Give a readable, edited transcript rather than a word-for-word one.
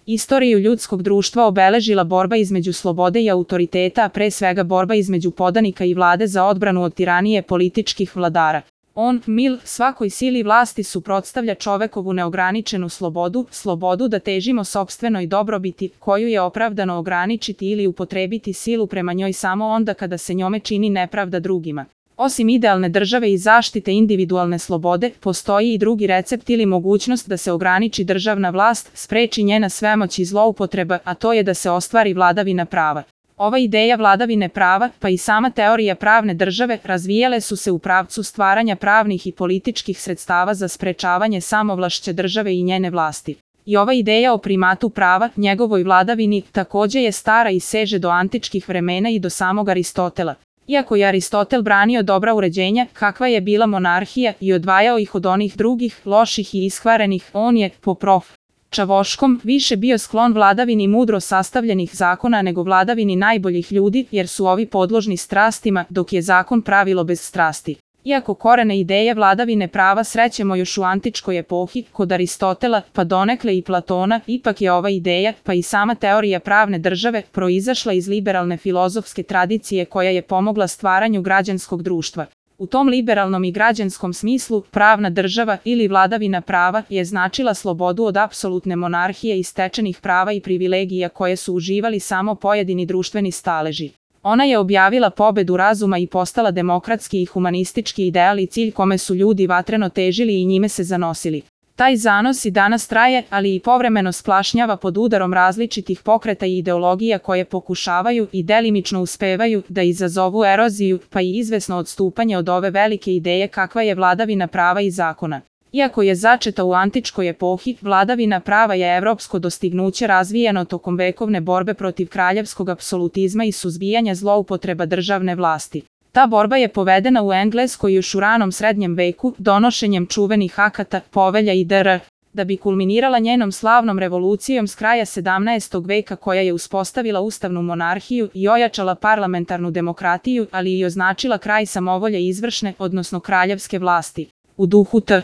Istoriju ljudskog društva obeležila borba između slobode i autoriteta, a pre svega borba između podanika i vlade za odbranu od tiranije političkih vladara. On, mil, svakoj sili vlasti suprotstavlja čovekovu neograničenu slobodu, slobodu da težimo sopstvenoj dobrobiti, koju je opravdano ograničiti ili upotrebiti silu prema njoj samo onda kada se njome čini nepravda drugima. Osim idealne države i zaštite individualne slobode, postoji i drugi recept ili mogućnost da se ograniči državna vlast, spreči njena svemoć i zloupotreba, a to je da se ostvari vladavina prava. Ova ideja vladavine prava, pa i sama teorija pravne države, razvijale su se u pravcu stvaranja pravnih i političkih sredstava za sprečavanje samovlašće države i njene vlasti. I ova ideja o primatu prava, njegovoj vladavini, takođe je stara i seže do antičkih vremena i do samog Aristotela. Iako je Aristotel branio dobra uređenja, kakva je bila monarhija, i odvajao ih od onih drugih, loših i iskvarenih, on je, po prof. Čavoškom, više bio sklon vladavini mudro sastavljenih zakona nego vladavini najboljih ljudi, jer su ovi podložni strastima, dok je zakon pravilo bez strasti. Iako korene ideje vladavine prava srećemo još u antičkoj epohi, kod Aristotela, pa donekle i Platona, ipak je ova ideja, pa i sama teorija pravne države, proizašla iz liberalne filozofske tradicije koja je pomogla stvaranju građanskog društva. U tom liberalnom i građanskom smislu, pravna država ili vladavina prava je značila slobodu od apsolutne monarhije i stečenih prava i privilegija koje su uživali samo pojedini društveni staleži. Ona je objavila pobedu razuma i postala demokratski i humanistički ideal i cilj kome su ljudi vatreno težili i njime se zanosili. Taj zanos i danas traje, ali i povremeno splašnjava pod udarom različitih pokreta i ideologija koje pokušavaju i delimično uspevaju da izazovu eroziju, pa i izvesno odstupanje od ove velike ideje kakva je vladavina prava i zakona. Iako je začeta u antičkoj epohi, vladavina prava je evropsko dostignuće razvijeno tokom vekovne borbe protiv kraljevskog apsolutizma i suzbijanja zloupotreba državne vlasti. Ta borba je povedena u Engleskoj još u ranom srednjem veku, donošenjem čuvenih akata, povelja i dr. da bi kulminirala njenom slavnom revolucijom s kraja 17. veka koja je uspostavila ustavnu monarhiju i ojačala parlamentarnu demokratiju, ali i označila kraj samovolje izvršne, odnosno kraljevske vlasti. U duhu T.